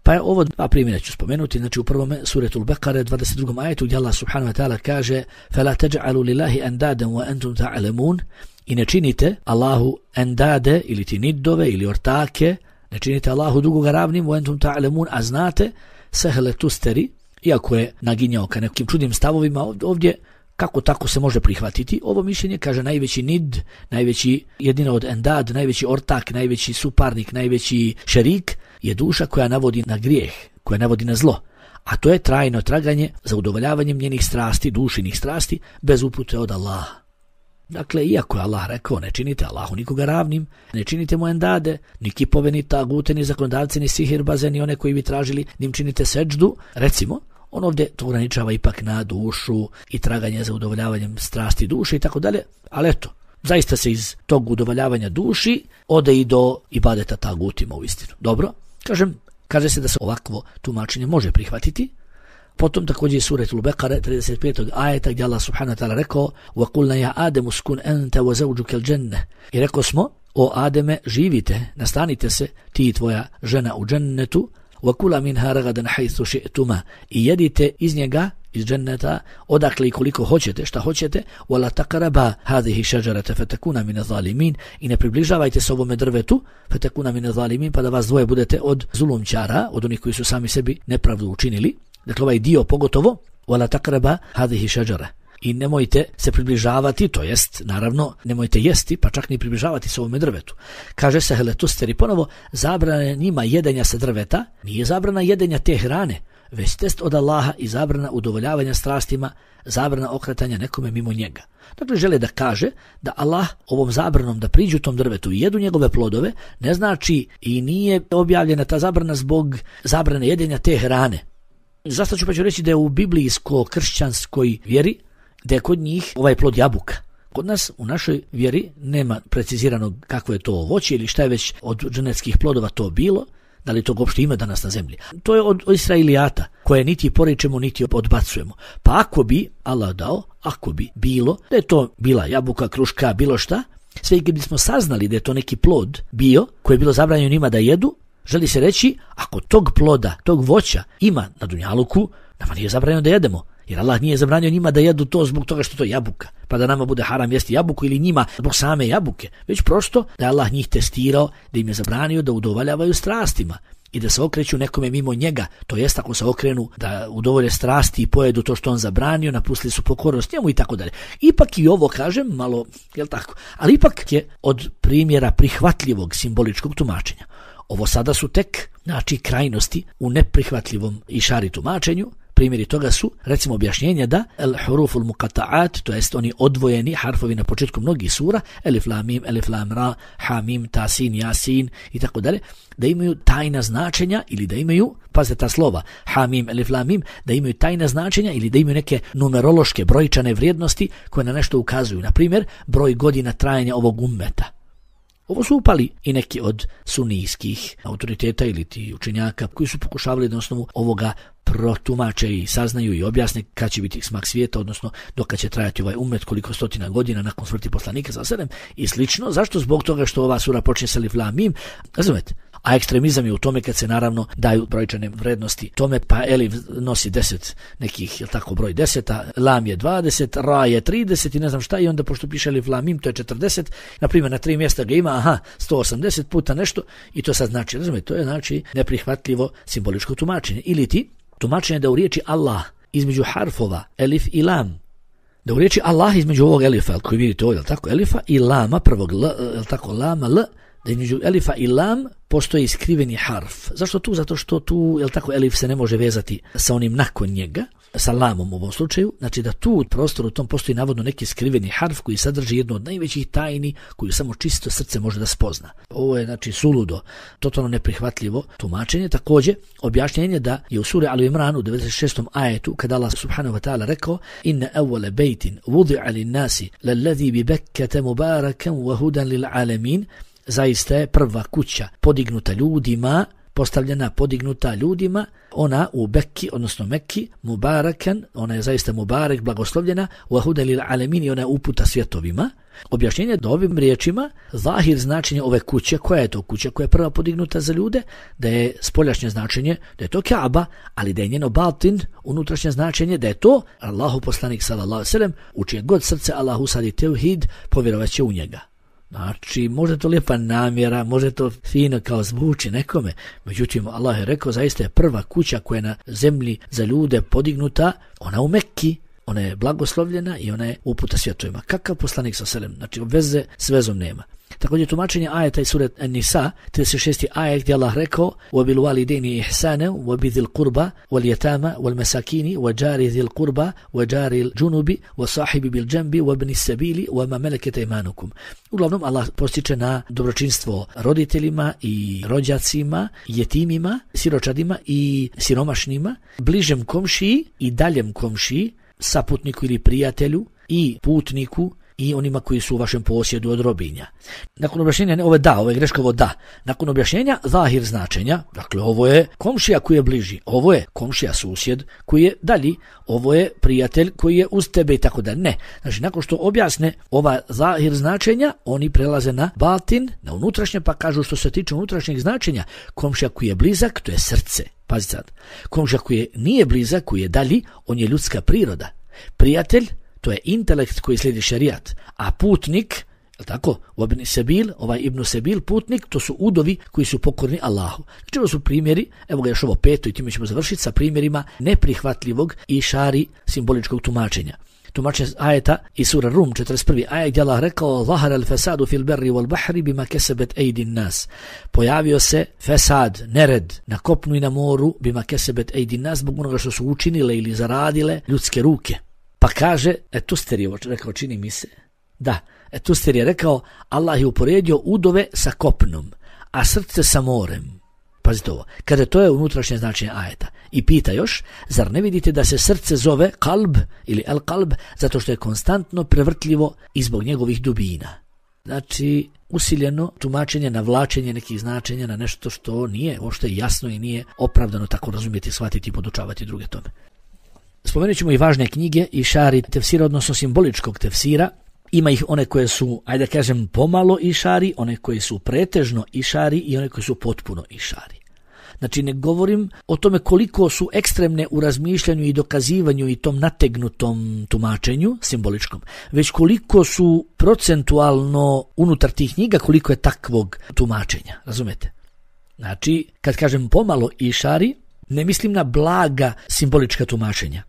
Pa je ovo dva primjera ću spomenuti. Znači u prvom suretul Bekare, dvadeset drugom ajetu, gdje Allah subhanahu wa ta'ala kaže فَلَا تَجْعَلُوا لِلَّهِ أَنْدَادًا وَأَنْتُمْ تَعْلَمُونَ i ne činite Allahu endade ili ti nidove ili ortake, ne činite Allahu drugoga ravnim, wa entum ta'lamun, a znate, sehle tusteri, iako je naginjao ka nekim čudnim stavovima ovdje, kako tako se može prihvatiti ovo mišljenje, kaže najveći nid, najveći jedina od endad, najveći ortak, najveći suparnik, najveći šerik, je duša koja navodi na grijeh, koja navodi na zlo. A to je trajno traganje za udovoljavanjem njenih strasti, dušinih strasti, bez upute od Allaha. Dakle, iako je Allah rekao, ne činite Allahu nikoga ravnim, ne činite mu endade, ni kipove, ni tagute, ni zakonodavce, ni sihirbaze, ni one koji bi tražili, ni im činite seđdu, recimo, on ovdje to ograničava ipak na dušu i traganje za udovoljavanjem strasti duše i tako dalje, ali eto, zaista se iz tog udovoljavanja duši ode i do ibadeta tagutima u istinu. Dobro, kažem, kaže se da se ovakvo tumačenje može prihvatiti. Potom također je suretul Bekare, trideset petog ajeta, gdje Allah subhanahu wa ta'ala rekao وَقُلْنَا يَا آدَمُ سْكُنْ أَنْتَ وَزَوْجُكَ الْجَنَّةِ i rekao smo, o Ademe, živite, nastanite se, ti i tvoja žena u džennetu, وَكُلَا مِنْهَا رَغَدًا حَيْثُ شِئْتُمَا i jedite iz njega, iz dženneta, odakle i koliko hoćete, šta hoćete, وَلَا تَقْرَبَا هَذِهِ شَجَرَةَ فَتَكُونَ مِنَ الظَّالِمِينَ i ne približavajte se ovome drvetu, فَتَكُونَ مِنَ الظَّالِمِينَ pa da vas dvoje budete od zulumčara, od onih koji su sami sebi nepravdu učinili. Dakle, ovaj dio pogotovo, وَلَا تَقْرَبَا هَذِهِ شَجَرَةَ i nemojte se približavati, to jest, naravno, nemojte jesti, pa čak ni približavati se ovome drvetu. Kaže se heletusteri ponovo, zabrana njima jedenja sa drveta, nije zabrana jedenja te hrane, već test od Allaha i zabrana udovoljavanja strastima, zabrana okretanja nekome mimo njega. Dakle, žele da kaže da Allah ovom zabranom da priđu tom drvetu i jedu njegove plodove, ne znači i nije objavljena ta zabrana zbog zabrane jedenja te hrane. Zašto ću pa ću reći da je u biblijsko-kršćanskoj vjeri da je kod njih ovaj plod jabuka. Kod nas u našoj vjeri nema precizirano kako je to voće ili šta je već od dženetskih plodova to bilo, da li to uopšte ima danas na zemlji. To je od Israilijata, koje niti poričemo, niti odbacujemo. Pa ako bi Allah dao, ako bi bilo, da je to bila jabuka, kruška, bilo šta, sve i kad bismo saznali da je to neki plod bio, koji je bilo zabranjeno njima da jedu, želi se reći, ako tog ploda, tog voća ima na dunjaluku, nama nije zabranjeno da jedemo. Jer Allah nije zabranio njima da jedu to zbog toga što to je jabuka, pa da nama bude haram jesti jabuku ili njima zbog same jabuke, već prosto da je Allah njih testirao, da im je zabranio da udovoljavaju strastima i da se okreću nekome mimo njega, to jest ako se okrenu da udovolje strasti i pojedu to što on zabranio, napustili su pokornost njemu i tako dalje. Ipak i ovo kažem malo, jel tako, ali ipak je od primjera prihvatljivog simboličkog tumačenja. Ovo sada su tek, znači, krajnosti u neprihvatljivom išari tumačenju. Primjeri toga su, recimo, objašnjenja da el huruful muqata'at, to jest oni odvojeni harfovi na početku mnogih sura, elif lam mim, elif lam ra, ha mim, ta sin, jasin i tako dalje, da imaju tajna značenja ili da imaju, pazite ta slova, ha mim, elif lam mim, da imaju tajna značenja ili da imaju neke numerološke brojčane vrijednosti koje na nešto ukazuju. Na primjer, broj godina trajanja ovog ummeta. Ovo su upali i neki od sunijskih autoriteta ili ti učenjaka koji su pokušavali da na osnovu ovoga protumače i saznaju i objasne kad će biti smak svijeta, odnosno dok će trajati ovaj umet, koliko stotina godina nakon smrti poslanika sa sedem i slično. Zašto? Zbog toga što ova sura počne sa alif lam mim, razumete? A ekstremizam je u tome kad se naravno daju brojčane vrednosti tome, pa elif nosi deset nekih, je tako, broj deseta, lam je dvadeset, ra je trideset i ne znam šta, i onda pošto piše elif lam mim, to je četrdeset, na primjer na tri mjesta ga ima, aha, sto osamdeset puta nešto, i to sad znači, razumete, to je znači neprihvatljivo simboličko tumačenje. Ili ti tumačenje da u riječi Allah između harfova elif i lam, da u riječi Allah između ovog elifa, koji vidite ovdje, tako, elifa i lama, prvog l, je tako, lama, l, da između elifa i lam postoji skriveni harf. Zašto tu? Zato što tu, jel tako, elif se ne može vezati sa onim nakon njega, sa lamom u ovom slučaju, znači da tu u prostoru tom postoji navodno neki skriveni harf koji sadrži jednu od najvećih tajni koju samo čisto srce može da spozna. Ovo je, znači, suludo, totalno neprihvatljivo tumačenje. Također objašnjenje da je u suri Al Imran u devedeset šestom ajetu kada Allah subhanahu wa ta'ala rekao inna awwala baytin wudi'a lin-nasi lalladhi bi Bekkata mubarakan wa hudan lil alamin, zaista je prva kuća podignuta ljudima, postavljena, podignuta ljudima, ona u Bekki, odnosno Mekki, mubarakan, ona je zaista mubarek, blagoslovljena, wa hudan lil alamin, i ona je uputa svjetovima. Objašnjenje da ovim riječima zahir značenje ove kuće, koja je to kuća koja je prva podignuta za ljude, da je spoljašnje značenje da je to Kaaba, ali da je njeno batin, unutrašnje značenje da je to Allahu poslanik sallallahu alejhi ve sellem, u čije god srce Allah usadi tevhid, povjerovaće u njega. Znači, može to lijepa namjera, može to fino kao zvuči nekome, međutim, Allah je rekao, zaista je prva kuća koja je na zemlji za ljude podignuta, ona u Mekki, ona je blagoslovljena i ona je uputa svjetovima. Kakav poslanik sa selem? Znači, veze s vezom nema. Također tumačenje ajeta iz sure An-Nisa, trideset šesti ajet, gdje Allah rekao وَبِالْوَالِدَيْنِ إِحْسَانًا وَبِذِي الْقُرْبَى وَالْيَتَامَى وَالْمَسَاكِينِ وَجَارِ ذِي الْقُرْبَى وَجَارِ الْجُنُبِ وَصَاحِبِ بِالْجَنبِ وَابْنِ السَّبِيلِ وَمَا مَلَكَتْ أَيْمَانُكُمْ. Uglavnom Allah postiče na dobročinstvo roditeljima i rođacima, jetimima, siročadima i siromašnima, bližem komšiji i daljem komšiji, saputniku ili prijatelju i putniku i onima koji su u vašem posjedu od robinja. Nakon objašnjenja, ovo je da, ovo je greška, ovo da. Nakon objašnjenja zahir značenja, dakle ovo je komšija koji je bliži, ovo je komšija susjed koji je dalji, ovo je prijatelj koji je uz tebe i tako da. Ne. Znači, nakon što objasne ova zahir značenja, oni prelaze na batin, na unutrašnje, pa kažu što se tiče unutrašnjeg značenja, komšija koji je blizak, to je srce. Pazite sad. Komšija koji je, nije blizak, koji je dalji, on je ljudska priroda. Prijatelj, to je intelekt koji slijedi šerijat, a putnik, je tako, Ibn Sebil, ovaj Ibn Sebil, putnik, to su udovi koji su pokorni Allahu. Znači, ovo su primjeri, evo ga još ovo peto i time ćemo završiti sa primjerima neprihvatljivog i šari simboličkog tumačenja. Tumačenje ajeta i sura Rum, četrdeset prvi ajet, gdje Allah rekao zahara al-fasadu fil berri wal bahri bima kasabat aydin nas. Pojavio se fesad, nered na kopnu i na moru bima kasabat aydin nas, zbog onoga što su učinile ili zaradile ljudske ruke. Pa kaže, Etuster je rekao, čini mi se, da, Etuster je rekao, Allah je uporedio udove sa kopnom, a srce sa morem. Pazite ovo, kada to je unutrašnje značenje ajeta. I pita još, zar ne vidite da se srce zove kalb ili el kalb, zato što je konstantno prevrtljivo i zbog njegovih dubina. Znači, usiljeno tumačenje, navlačenje nekih značenja na nešto što nije uopšte jasno i nije opravdano tako razumjeti, shvatiti i podučavati druge tome. Spomenut ćemo i važne knjige i šari tefsira, odnosno simboličkog tefsira. Ima ih one koje su, ajde da kažem, pomalo išari, one koje su pretežno išari i one koje su potpuno išari. Znači ne govorim o tome koliko su ekstremne u razmišljanju i dokazivanju i tom nategnutom tumačenju simboličkom, već koliko su procentualno unutar tih knjiga, koliko je takvog tumačenja, razumete? Znači, kad kažem pomalo išari, ne mislim na blaga simbolička tumačenja.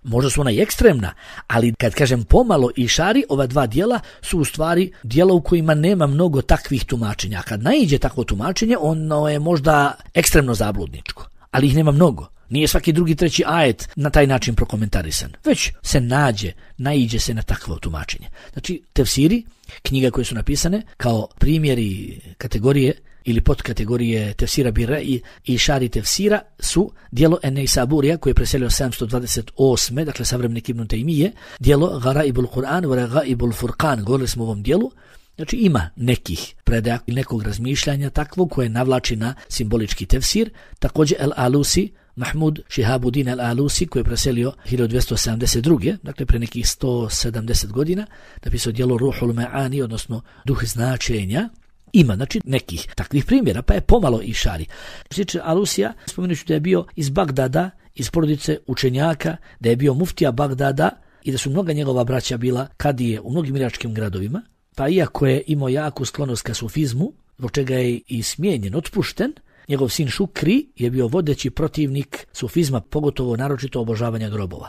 Možda su ona i ekstremna, ali kad kažem pomalo išari, ova dva dijela su u stvari dijela u kojima nema mnogo takvih tumačenja. A kad naiđe takvo tumačenje, ono je možda ekstremno zabludničko, ali ih nema mnogo. Nije svaki drugi, treći ajet na taj način prokomentarisan, već se nađe, naiđe se na takvo tumačenje. Znači, tefsiri, knjiga koje su napisane kao primjeri kategorije ili podkategorije tefsira Bira i išari tefsira su dijelo En-Neisaburija koje je preselio sedamsto dvadeset osme dakle savremenik Ibn Taymije, dijelo Garaibul Kur'an wa Garaibul Furqan, govorili smo o ovom dijelu. Znači ima nekih predaja i nekog razmišljanja takvog koje navlači na simbolički tefsir. Također El-Alusi, Mahmud Šihabuddin El-Alusi koji je preselio hiljadu dvjesto sedamdeset druge dakle pre nekih sto sedamdeset godina, napisao dijelo Ruhul Ma'ani, odnosno duh značenja. Ima, znači, nekih takvih primjera, pa je pomalo išari. Sliče Alusija, spomenuću da je bio iz Bagdada, iz porodice učenjaka, da je bio muftija Bagdada i da su mnoga njegova braća bila kadije u mnogim iračkim gradovima, pa iako je imao jaku sklonost ka sufizmu, zbog čega je i smijenjen, otpušten, njegov sin Šukri je bio vodeći protivnik sufizma, pogotovo naročito obožavanja grobova.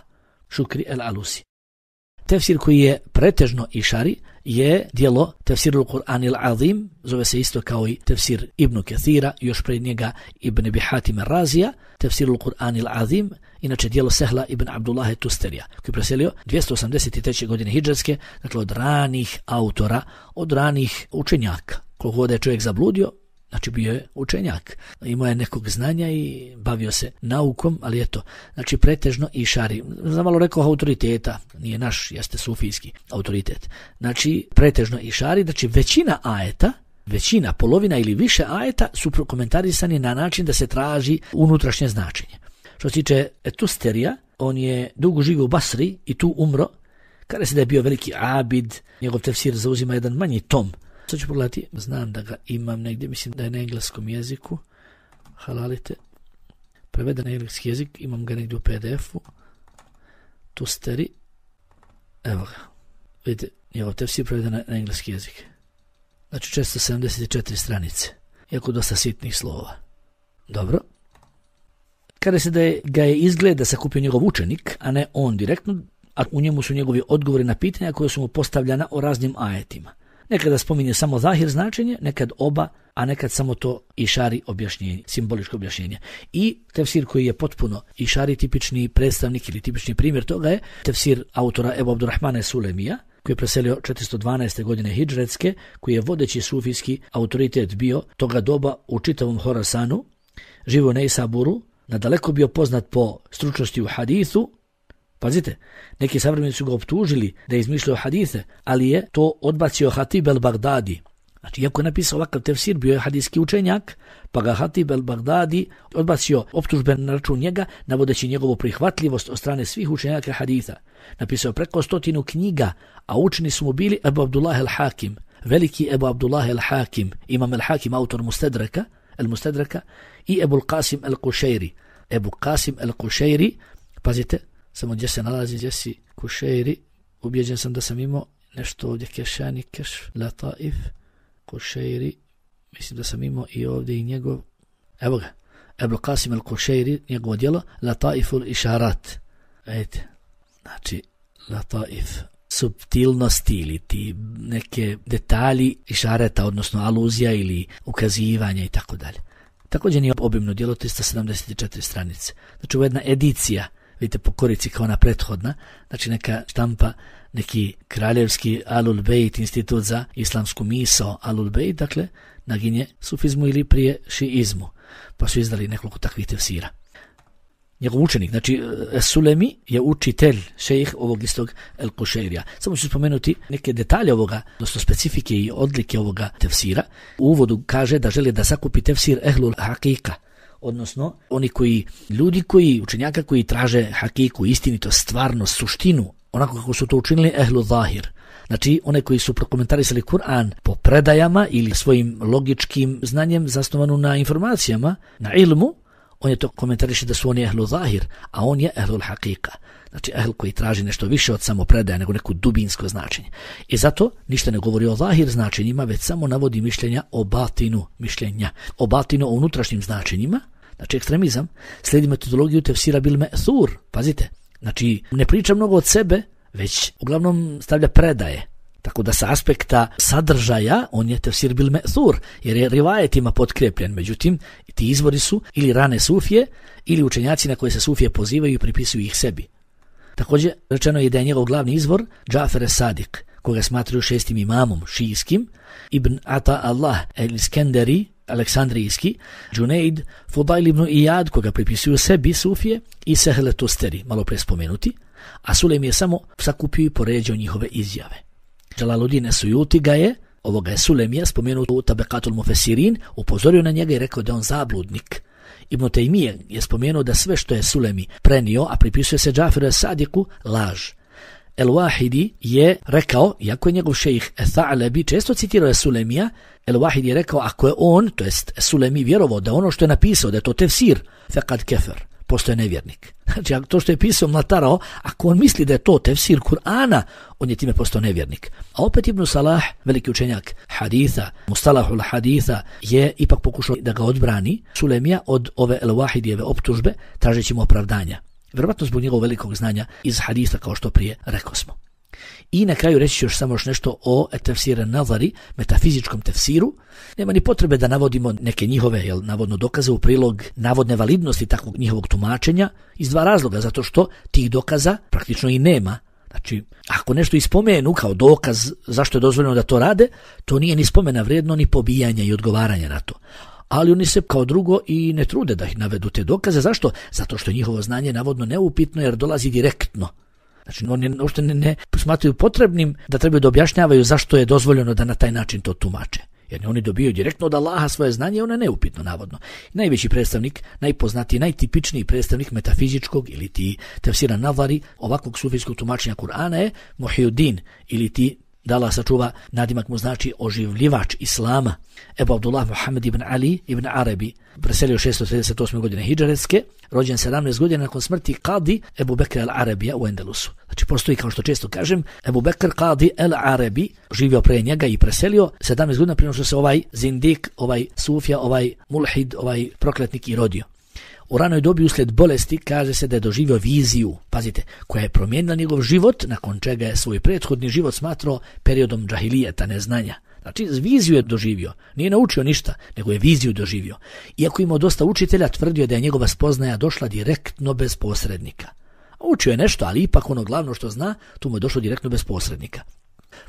Šukri el-Alusi. Tefsir koji je pretežno išari je dijelo Tefsirul Kur'anil Azim, zove se isto kao i Tefsir Ibn Kathira, još pred njega Ibn Abi Hatim Razija, Tefsirul Kur'anil Azim, inače dijelo Sehla ibn Abdullaha Tusterija, koji je preselio dvjesto osamdeset treće godine hidžretske, dakle od ranih autora, od ranih učenjaka. Koliko god je čovjek zabludio, znači bio je učenjak, imao je nekog znanja i bavio se naukom, ali eto, znači pretežno išari. Znam malo rekao autoriteta, nije naš, jeste sufijski autoritet. Znači pretežno išari, znači većina ajeta, većina, polovina ili više ajeta su prokomentarisani na način da se traži unutrašnje značenje. Što se tiče Tusterija, on je dugo živio u Basri i tu umro, kada se da je bio veliki abid, njegov tefsir zauzima jedan manji tom. Sad ću pogledati, znam da ga imam negdje, mislim da je na engleskom jeziku, halalite, preveden na engleski jezik, imam ga negdje u P D F-u, Tusteri, evo ga, vidite, njegov tefsir preveden na, na engleski jezik. Znači često sedamdeset četiri stranice, iako dosta sitnih slova. Dobro. Kada se da je, ga je izgled da se kupio njegov učenik, a ne on direktno, a u njemu su njegovi odgovori na pitanja koje su mu postavljana o raznim ajetima. Nekada spominje samo zahir značenje, nekad oba, a nekad samo to išari objašnjenje, simboličko objašnjenje. I tefsir koji je potpuno išari tipični predstavnik ili tipični primjer toga je tefsir autora Ebu Abdurrahmana Sulemija, koji je preselio četiristo dvanaeste godine hidžretske, koji je vodeći sufijski autoritet bio toga doba u čitavom Horasanu, živo u Neisaburu, nadaleko bio poznat po stručnosti u hadithu. Pazite, neki savremenici su ga optužili da je izmišljao hadise, ali je to odbacio Hatib el-Bagdadi. Znači, iako je napisao ovakav tefsir, bio je hadijski učenjak, pa ga Hatib el-Bagdadi odbacio optužbe na račun njega, navodeći njegovu prihvatljivost od strane svih učenjaka haditha. Napisao preko stotinu knjiga, a učeni su mu bili Ebu Abdullah el-Hakim, veliki Ebu Abdullah el-Hakim, imam el-Hakim, autor Mustedraka, el-Mustedraka, i Ebu Qasim el-Kušejri. Ebu Qasim el-Kušejri, pazite, samo gdje se nalazi, gdje si Kušejri, ubjeđen sam da sam imao nešto ovdje, Kešani, Keš, Lataif, Kušejri, mislim da sam imao i ovdje i njegov, evo ga, Ebu Qasim el-Kušejri, njegovo djelo, Lataiful Išarat, vidite, znači, Lataif, subtilnosti ili ti neke detalji išareta, odnosno aluzija ili ukazivanja i tako dalje. Također nije obimno djelo, tristo sedamdeset četiri stranice. Znači, ovo je jedna edicija, vidite po korici kao ona prethodna, znači neka štampa, neki kraljevski Alul Bejt, institut za islamsku misao Alul Bejt, dakle, naginje sufizmu ili prije šiizmu, pa su izdali nekoliko takvih tefsira. Njegov učenik, znači Sulemi je učitelj, šejih ovog istog El-Kušejrija. Samo ću spomenuti neke detalje ovoga, odnosno specifike i odlike ovoga tefsira. U uvodu kaže da želi da sakupi tefsir Ehlul Hakika, odnosno oni koji, ljudi koji, učenjaka koji traže hakiku, istinito, stvarnost, suštinu, onako kako su to učinili Ehlu Zahir. Znači, one koji su prokomentarisali Kur'an po predajama ili svojim logičkim znanjem zasnovanu na informacijama, na ilmu, on je to komentariše da su oni ehlu zahir, a on je ehlul haqiqa. Znači ehl koji traži nešto više od samo predaje nego neko dubinsko značenje. I zato ništa ne govori o zahir značenjima, već samo navodi mišljenja o batinu mišljenja, o batinu, o unutrašnjim značenjima. Znači ekstremizam slijedi metodologiju tefsira bil me'thur. Pazite, znači ne priča mnogo od sebe, već uglavnom stavlja predaje. Tako da sa aspekta sadržaja on je tefsir bil me'thur, jer je rivajetima potkrepljen. Međutim, ti izvori su ili rane sufije, ili učenjaci na koje se sufije pozivaju i pripisuju ih sebi. Također rečeno je da je njegov glavni izvor Džafer es-Sadiq, koga smatraju šestim imamom šijskim, Ibn Ata Allah el-Iskenderi, aleksandrijski, Džunejd, Fudail ibn Iyad, koga pripisuju sebi sufije, i Sehle Tusteri, malo pre spomenuti, a Sulejm je samo sakupio i poređao njihove izjave. Džalaluddin es-Sujuti ga je, ovoga je Sulejmija, spomenuo u Tabekatul Mufesirin, upozorio na njega i rekao da on zabludnik. Ibn Tejmije je spomenuo da sve što je Sulejmi prenio, a pripisuje se Džaferu es-Sadiku, laž. El-Wahidi je rekao, iako je njegov šejh Tha'lebi često citirao je Sulejmija, El-Wahidi je rekao, ako je on, to jest Sulejmi, vjerovao da ono što je napisao, da je to tefsir, fekad kefer, postoje nevjernik. Znači, to što je pisao mlatarao, ako on misli da je to tefsir Kur'ana, on je time postao nevjernik. A opet Ibn Salah, veliki učenjak haditha, mustalahul haditha, je ipak pokušao da ga odbrani Sulejmija od ove El-Wahidijeve optužbe, tražeći mu opravdanja. Vjerovatno zbog njegovog velikog znanja iz haditha, kao što prije rekao smo. I na kraju reći ću još samo još nešto o tefsir nazari, metafizičkom tefsiru. Nema ni potrebe da navodimo neke njihove, jel, navodno dokaze u prilog navodne validnosti takvog njihovog tumačenja iz dva razloga, zato što tih dokaza praktično i nema. Znači, ako nešto ispomenu kao dokaz zašto je dozvoljeno da to rade, to nije ni spomena vrijedno, ni pobijanja i odgovaranja na to. Ali oni se kao drugo i ne trude da ih navedu te dokaze. Zašto? Zato što je njihovo znanje navodno neupitno jer dolazi direktno. Znači oni uopšte ne, ne smatraju potrebnim da trebaju da objašnjavaju zašto je dozvoljeno da na taj način to tumače. Jer oni dobijaju direktno od Allaha svoje znanje i ono je neupitno navodno. Najveći predstavnik, najpoznatiji, najtipičniji predstavnik metafizičkog ili ti tefsira nazari ovakvog sufijskog tumačenja Kur'ana je Muhyiddin ili ti da Allah sačuva, nadimak mu znači oživljivač Islama, Ebu Abdullah Muhammed ibn Ali ibn Arabi, preselio šesto trideset osme godine hidžretske, rođen sedamnaest godina nakon smrti Qadi Ebu Bekr al-Arabija u Endelusu. Znači postoji, kao što često kažem, Ebu Bekr Qadi al-Arabi, živio pre njega i preselio sedamnaest godina prije što se ovaj zindik, ovaj sufija, ovaj mulhid, ovaj prokletnik i rodio. U ranoj dobi uslijed bolesti kaže se da je doživio viziju, pazite, koja je promijenila njegov život, nakon čega je svoj prethodni život smatrao periodom džahilijeta, neznanja. Znači, viziju je doživio, nije naučio ništa, nego je viziju doživio. Iako imao dosta učitelja, tvrdio da je njegova spoznaja došla direktno bez posrednika. Učio je nešto, ali ipak ono glavno što zna, tu mu je došlo direktno bez posrednika.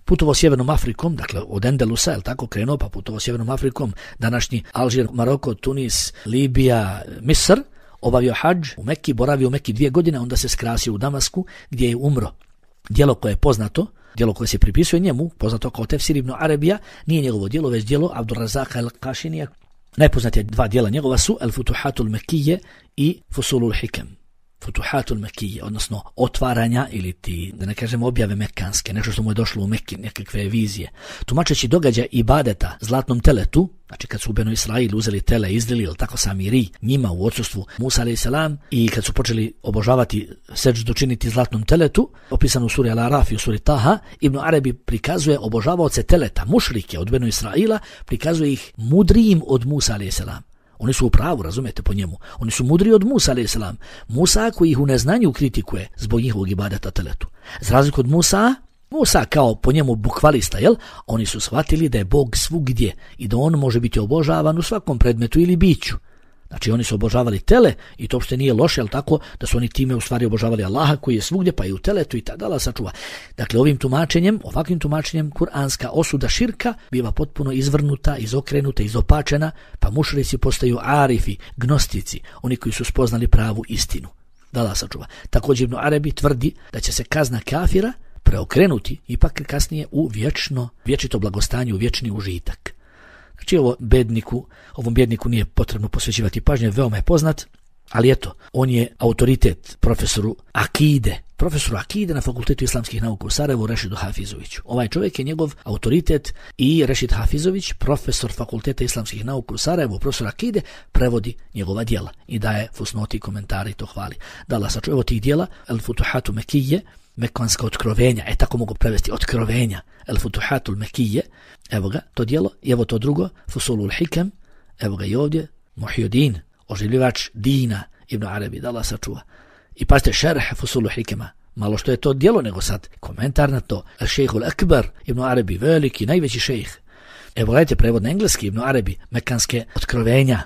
Putovao sjevernom Afrikom, dakle od Endelusa, je tako krenuo, pa putovao sjevernom Afrikom, današnji Alžir, Maroko, Tunis, Libija, Misr, obavio hadž u Mekki, boravio u Mekki dvije godine, onda se skrasio u Damasku, gdje je umro. Djelo koje je poznato, djelo koje se pripisuje njemu, poznato kao Tefsir ibn Arabija, nije njegovo djelo, već djelo Abdurrazaka el-Kašinija. Najpoznatije dva djela njegova su El-Futuhatul Mekije i Fusulul Hikem. Futuhatul Mekije, odnosno otvaranja ili ti, da ne kažem, objave mekanske, nešto što mu je došlo u Mekki, nekakve vizije. Tumačeći događaj ibadeta zlatnom teletu, znači kad su u Benu Israilu uzeli tele, izlili, ili tako sami ri, njima u odsustvu Musa alejhi selam, i kad su počeli obožavati, seđdu činiti zlatnom teletu, opisano u suri Al-Araf i u suri Taha, Ibn Arabi prikazuje obožavaoce teleta, mušrike od Benu Israila, prikazuje ih mudrijim od Musa alejhi selam. Oni su u pravu, razumete, po njemu. Oni su mudri od Musa alejhi selam. Musa koji ih u neznanju kritikuje zbog njihovog ibadeta teletu. Za razliku od Musa, Musa kao po njemu bukvalista, jel? Oni su shvatili da je Bog svugdje i da on može biti obožavan u svakom predmetu ili biću. Znači oni su obožavali tele i to uopšte nije loše, ali tako da su oni time u stvari obožavali Allaha koji je svugdje, pa i u teletu i tada Allah sačuva. Dakle, ovim tumačenjem, ovakvim tumačenjem kuranska osuda širka biva potpuno izvrnuta, izokrenuta, izopačena, pa mušrici postaju arifi, gnostici, oni koji su spoznali pravu istinu. Da Allah sačuva. Također Ibn Arabi tvrdi da će se kazna kafira preokrenuti ipak kasnije u vječno, vječito blagostanje, u vječni užitak. Znači ovo bedniku, ovom bjedniku nije potrebno posvećivati pažnje, veoma je poznat, ali eto, on je autoritet profesoru akide profesoru akide na Fakultetu islamskih nauka u Sarajevu Rešidu Hafizoviću. Ovaj čovjek je njegov autoritet i Rešid Hafizović, profesor Fakulteta islamskih nauka u Sarajevu, profesor akide, prevodi njegova djela i daje fusnoti, komentari i to hvali. Da Allah sačuva. Evo tih djela, El Futuhatu Mekije, Mekanska otkrovenja, e tako mogu prevesti, otkrovenja, El Futuhatul Mekije, evo ga, to djelo, i evo to drugo, Fusulul Hikem, evo ga i ovdje, Muhyiddin, oživljivač dina, Ibn Arabi, da Allah sačuva. I pazite, šerh Fusulu Hikema, malo što je to djelo, nego sad komentar na to. Šejhul Akbar, Ibn Arabi, veliki, najveći šejh. Evo gledajte, prevod na engleski, Ibn Arabi, Mekanske otkrovenja.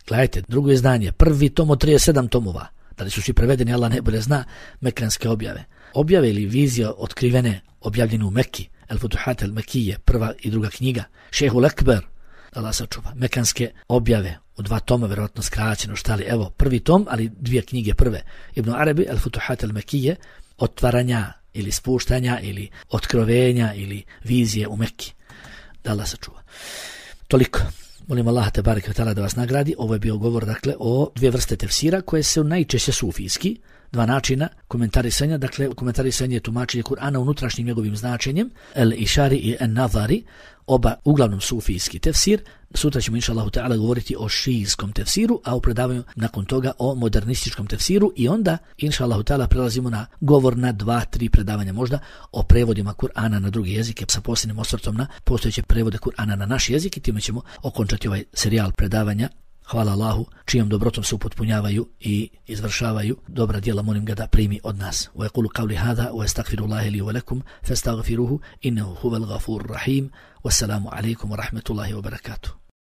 Gledajte, drugo izdanje, prvi tom od trideset sedam tomova. Da li su svi prevedeni, Allah najbolje zna, Mekanske objave. Objave ili vizije otkrivene, objavljene u Mekki, El Futuhat el Mekije, prva i druga knjiga. Šejhul Akbar, Allah sačuva, Mekanske objave, u dva toma, vjerovatno skraćeno, šta li, evo, prvi tom, ali dvije knjige prve. Ibn Arabi, El Futuhat el Mekije, otvaranja ili spuštanja ili otkrovenja ili vizije u Mekki. Da Allah sačuva. Toliko. Molim Allaha te bareke ve taala da vas nagradi. Ovo je bio govor, dakle, o dvije vrste tefsira koje su najčešće sufijski, dva načina komentarisanja, dakle, komentarisanje je tumačenje Kur'ana unutrašnjim njegovim značenjem, el išari i en nazari, oba uglavnom sufijski tefsir. Sutra ćemo inša Allahu ta'ala govoriti o šijskom tefsiru, a u predavanju nakon toga o modernističkom tefsiru i onda inša Allahu ta'ala prelazimo na govor na dva, tri predavanja možda o prevodima Kur'ana na drugi jezike sa posebnim osvrtom na postojeće prevode Kur'ana na naš jezik i time ćemo okončati ovaj serijal predavanja. Hvala Allahu, čijom dobrotom se upotpunjavaju i izvršavaju dobra djela, molim ga da primi od nas. Wa yaqulu qawli hadha wa astaghfirullaha li wa lakum fastaghfiruhu innahu huwal ghafurur rahim. Wassalamu alaykum wa rahmatullahi wa barakatuh.